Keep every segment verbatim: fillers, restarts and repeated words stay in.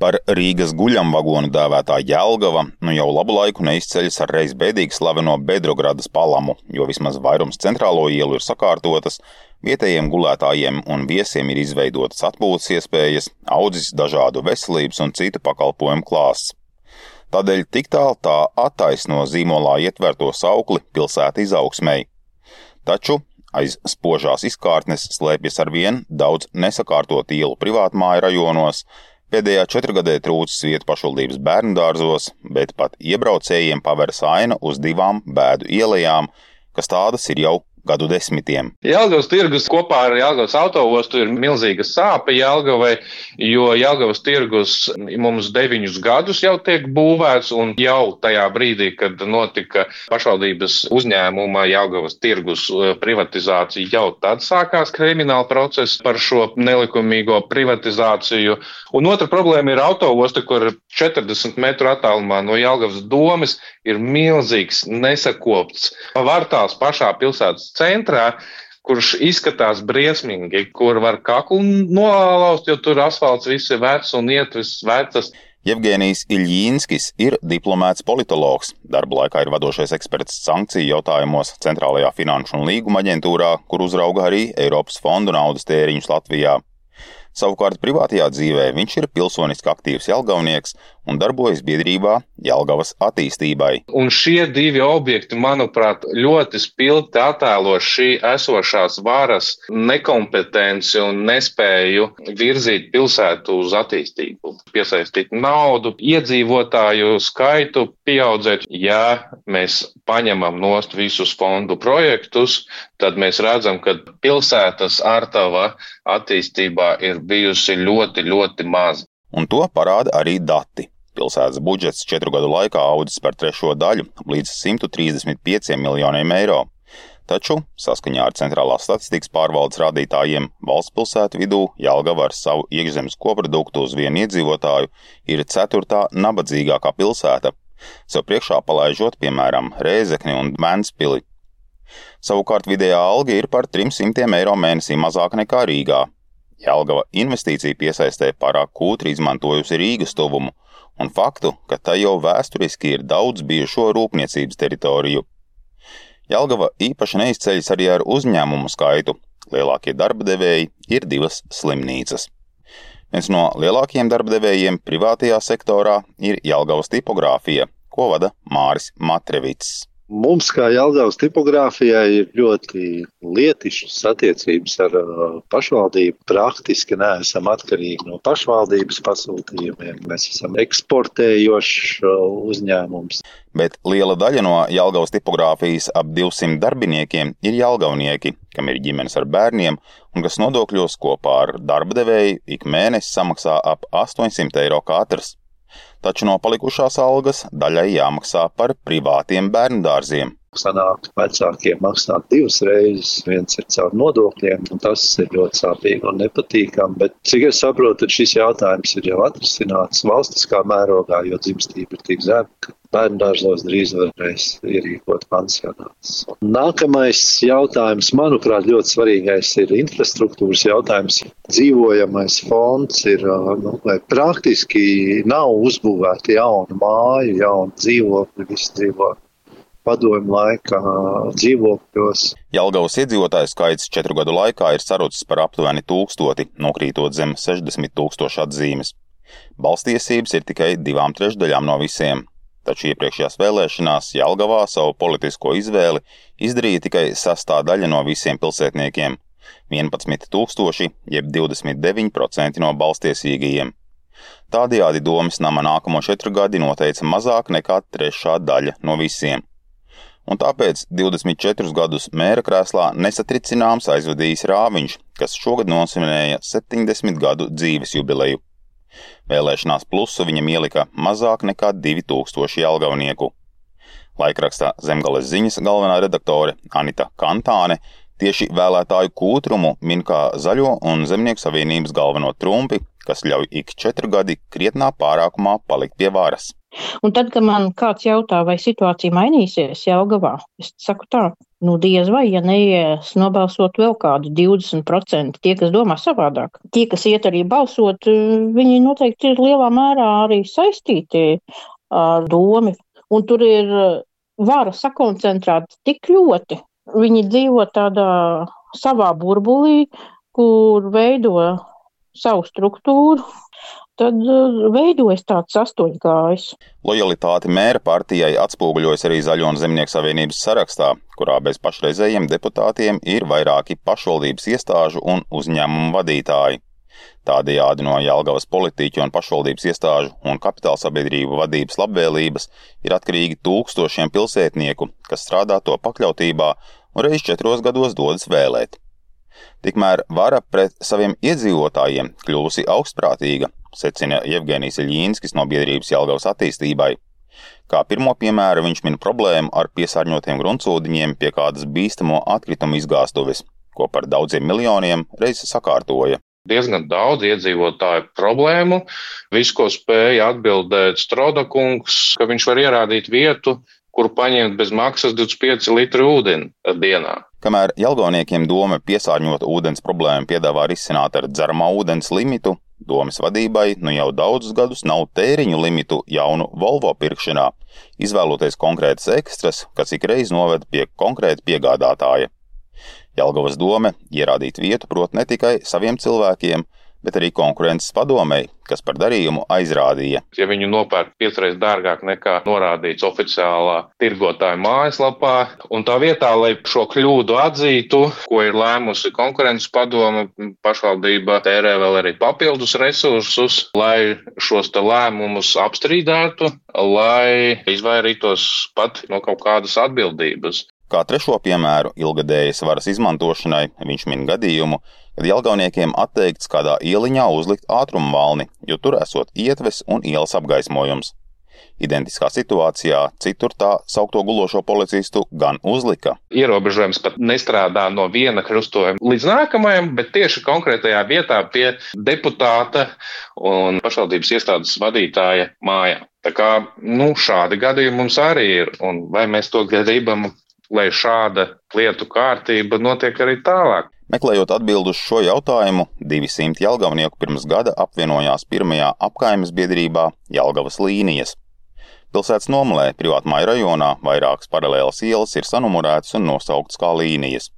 Par Rīgas guļamvagonu dēvētā Jelgava nu jau labu laiku neizceļas ar reiz bēdīgi slaveno Bedrogradas palamu, jo vismaz vairums centrālo ielu ir sakārtotas, vietējiem gulētājiem un viesiem ir izveidotas atpūtas iespējas, audzis dažādu veselības un citu pakalpojumu klāsts. Tādēļ tik tālu tā attaisno zīmolā ietverto saukli pilsēta izaugsmei. Taču aiz spožās izkārtnes slēpjas arvien daudz nesakārtot ielu privātmāju rajonos. Pēdējā četrgadē trūcis vietu pašvaldības bērnudārzos, bet pat iebraucējiem paveras aina uz divām bēdu ielajām, kas tādas ir jau gadu desmitiem. Jelgavas tirgus kopā ar Jelgavas autoostu ir milzīga sāpe Jelgavai, jo Jelgavas tirgus mums deviņus gadus jau tiek būvēts, un jau tajā brīdī, kad notika pašvaldības uzņēmuma Jelgavas tirgus privatizācija, jau tad sākās krimināla process par šo nelikumīgo privatizāciju. Un otra problēma ir autoosta, kur četrdesmit metru attālumā no Jelgavas domes ir milzīgs nesakopts vartās pašā pilsētas centrā, kurš izskatās briesmīgi, kur var kaklu nolauzt, jo tur asfalts viss ir vecs un ietves vecas. Jevgenijs Iļjīnskis ir diplomēts politologs. Darba laikā ir vadošais eksperts sankciju jautājumos Centrālajā finanšu un līguma aģentūrā, kur uzrauga arī Eiropas fondu naudas tēriņus Latvijā. Savukārt privātajā dzīvē viņš ir pilsoniski aktīvs jelgavnieks un darbojas biedrībā Jelgavas attīstībai. Un šie divi objekti, manuprāt, ļoti spilgti attēlo šī esošās varas nekompetenci un nespēju virzīt pilsētu uz attīstību, piesaistīt naudu, iedzīvotāju skaitu pieaudzēt. Ja mēs paņemam nost visus fondu projektus, tad mēs redzam, ka pilsētas ārtava attīstībā ir bijusi ļoti, ļoti maza. Un to parāda arī dati. Pilsētas budžets četru gadu laikā audzis par trešo daļu līdz simt trīsdesmit pieciem miljoniem eiro. Taču, saskaņā ar centrālās statistikas pārvaldes rādītājiem, valsts pilsētu vidū Jelgava ar savu iekšzemes koproduktu uz vienu iedzīvotāju ir ceturtā nabadzīgākā pilsēta, sev priekšā palaižot, piemēram, Rēzekni un Ventspili. Savukārt vidējā alga ir par trim simtiem eiro mēnesī mazāk nekā Rīgā. Jelgava investīcija piesaistē pārāk kūtri izmantojusi Rīgas tuvumu un faktu, ka tā jau vēsturiski ir daudz bijušo rūpniecības teritoriju. Jelgava īpaši neizceļas arī ar uzņēmumu skaitu. Lielākie darba devēji ir divas slimnīcas. Viens no lielākajiem darba devējiem privātajā sektorā ir Jelgavas tipogrāfija, ko vada Māris Matrevits. Mums, kā Jelgavas tipogrāfijai, ir ļoti lietišas attiecības ar pašvaldību. Praktiski neesam atkarīgi no pašvaldības pasūtījumiem. Mēs esam eksportējošs uzņēmums. Bet liela daļa no Jelgavas tipogrāfijas ap divsimt darbiniekiem ir jelgavnieki, kam ir ģimenes ar bērniem un kas nodokļos kopā ar darba devēju ik mēnesi samaksā ap astoņsimt eiro katrs. Taču no palikušās algas daļai jāmaksā par privātiem bērnudārziem. Sanāk vecākiem maksāt divas reizes, viens ir caur nodokļiem, un tas ir ļoti sāpīgi un nepatīkami, bet cik es saprotu, šis jautājums ir jau atrisināts valstiskā mērogā, jo dzimstība ir tik zema, ka bērnudārzos drīz varēs ierīkot pansionātus. Nākamais jautājums, manuprāt, ļoti svarīgais ir infrastruktūras jautājums. Dzīvojamais fonds ir, nu, vai praktiski nav uzbūvēti jaunu māju, jaunu dzīvokļu, visi dzīvo padomju laikā dzīvokļos. Jelgavas iedzīvotāju skaits četru gadu laikā ir sarucis par aptuveni tūkstoti, nokrītot zem sešdesmit tūkstošu atzīmes. Balstiesības ir tikai divām trešdaļām no visiem. Taču iepriekšējās vēlēšanās Jelgavā savu politisko izvēli izdarīja tikai sastā daļa no visiem pilsētniekiem – vienpadsmit tūkstoši, jeb divdesmit deviņi procenti no balstiesīgajiem. Tādējādi Domes nama nākamo četru gadi noteica mazāk nekā trešā daļa no visiem. Un tāpēc divdesmit četrus gadus mēra krēslā nesatricināms aizvadījis Rāviņš, kas šogad nosvinēja septiņdesmit gadu dzīves jubileju. Vēlēšanās plusu viņam ielika mazāk nekā divi tūkstoši jelgavnieku. Laikrakstā Zemgales ziņas galvenā redaktore Anita Kantāne tieši vēlētāju kūtrumu min kā Zaļo un Zemnieku savienības galveno trumpi, kas ļauj ik četru gadi krietnā pārākumā palikt pie varas. Un tad, kad man kāds jautā, vai situācija mainīsies Jelgavā, es saku tā, Nu, diez vai, ja neies nobalsot vēl kādi divdesmit procenti, tie, kas domā savādāk. Tie, kas iet arī balsot, viņi noteikti ir lielā mērā arī saistīti ar domu. Un tur ir vara sakoncentrēta tik ļoti. Viņi dzīvo tādā savā burbulī, kur veido savu struktūru. Tad veidojas tāds astoņkājs. Lojalitāte mēra partijai atspoguļojas arī Zaļo un Zemnieku savienības sarakstā, kurā bez pašreizējiem deputātiem ir vairāki pašvaldības iestāžu un uzņēmumu vadītāji. Tādējādi no Jelgavas politiķu un pašvaldības iestāžu un kapitālsabiedrību vadības labvēlības ir atkarīgi tūkstošiem pilsētnieku, kas strādā to pakļautībā un reiz četros gados dodas vēlēt. Tikmēr vara pret saviem iedzīvotājiem kļuvusi augstprātīga, secina Jevgenijs Iļīnskis no biedrības Jelgavas attīstībai. Kā pirmo piemēru viņš min problēmu ar piesārņotiem gruntsūdeņiem pie kādas bīstamo atkritumu izgāstuves, ko par daudziem miljoniem reiz sakārtoja. Diezgan daudz iedzīvotāju problēmu. Viss, ko spēja atbildēt Strodakungs, ka viņš var ierādīt vietu, kuru paņemt bez maksas divdesmit pieci litri ūdeni dienā. Kamēr jelgavniekiem doma piesārņot ūdens problēmu piedāvā risināt ar dzeramā ūdens limitu, domas vadībai nu jau daudzus gadus nav tēriņu limitu jaunu Volvo pirkšanā, izvēloties konkrētas ekstras, kas ikreiz noved pie konkrēta piegādātāja. Jelgavas dome ierādīt vietu prot ne tikai saviem cilvēkiem, bet arī konkurences padomei, kas par darījumu aizrādīja. Ja viņu nopērk piecreiz dārgāk nekā norādīts oficiālā tirgotāja mājaslapā, un tā vietā, lai šo kļūdu atzītu, ko ir lēmusi konkurences padome, pašvaldība tērē vēl arī papildus resursus, lai šos te lēmumus apstrīdētu, lai izvairītos pat no kaut kādas atbildības. Kā trešo piemēru ilgadējas varas izmantošanai viņš min gadījumu, kad jelgavniekiem atteikts kādā ieliņā uzlikt ātrumu valni, jo tur esot ietves un ielas apgaismojums. Identiskā situācijā citur tā saukto gulošo policistu gan uzlika. Ierobežojums pat nestrādā no viena krustojuma līdz nākamajam, bet tieši konkrētajā vietā pie deputāta un pašvaldības iestādes vadītāja mājā. Tā kā, nu, šādi gadījumi mums arī ir, un vai mēs to gribam, lai šāda lietu kārtība notiek arī tālāk. Meklējot atbildu uz šo jautājumu, divi simti jelgavnieku pirms gada apvienojās pirmajā apkaimes biedrībā Jelgavas līnijas. Pilsētas nomalē privātmāju rajonā vairākas paralēlas ielas ir sanumurētas un nosauktas kā līnijas.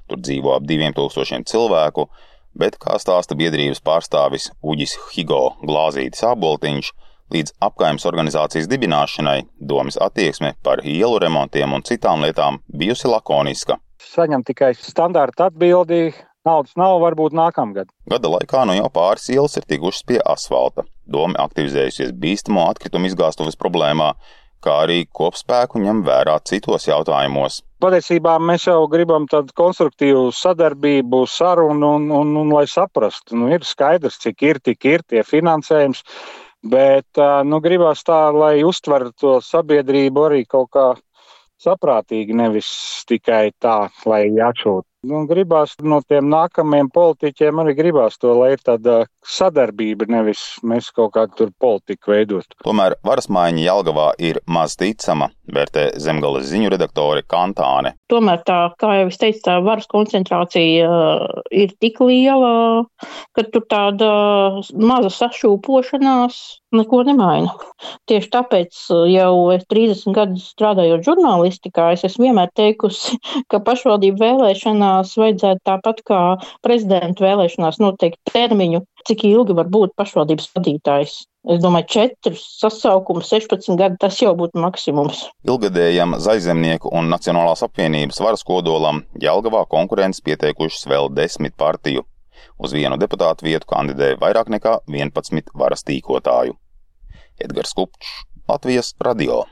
Tur dzīvo ap diviem tūkstošiem cilvēku, bet, kā stāsta biedrības pārstāvis Uģis Higo Glāzītis Āboltiņš, līdz apkaimes organizācijas dibināšanai domas attieksme par ielu remontiem un citām lietām bijusi lakoniska. Saņem tikai standārta atbildi, naudas nav, varbūt nākamgad. Gada laikā nu jau pāris ielas ir tikušas pie asfalta. Doma aktivizējusies bīstamo atkritumu izgāstuves problēmā, kā arī kopspēku ņem vērā citos jautājumos. Patiesībā mēs jau gribam tādu konstruktīvu sadarbību, sarunu un, un, un lai saprastu. Nu, ir skaidrs, cik ir, tik ir tie finansējums. Bet nu, gribās tā, lai uztver to sabiedrību arī kaut kā saprātīgi, nevis tikai tā, lai atšūt. Nu, gribās no tiem nākamajiem politiķiem arī gribās to, lai ir tāda sadarbība, nevis mēs kaut kādu tur politiku veidot. Tomēr varas maiņa Jelgavā ir maz ticama, vērtē Zemgales ziņu redaktore Kantāne. Tomēr tā, kā jau es teicu, tā varas koncentrācija ir tik liela, ka tur tāda maza sašūpošanās neko nemaina. Tieši tāpēc jau trīsdesmit gadus strādājot žurnālistikā, es esmu vienmēr teikusi, ka pašvaldību vēlēšanās vajadzētu tāpat kā prezidenta vēlēšanās noteikt termiņu, cik ilgi var būt pašvaldības vadītājs. Es domāju, četras sasaukums, sešpadsmit gadi, tas jau būtu maksimums. Ilgadējam Zaļzemnieku un Nacionālās apvienības varas kodolam Jelgavā konkurences pieteikušas vēl desmit partiju. Uz vienu deputātu vietu kandidē vairāk nekā vienpadsmit varas tīkotāju. Edgars Kupčs, Latvijas radio.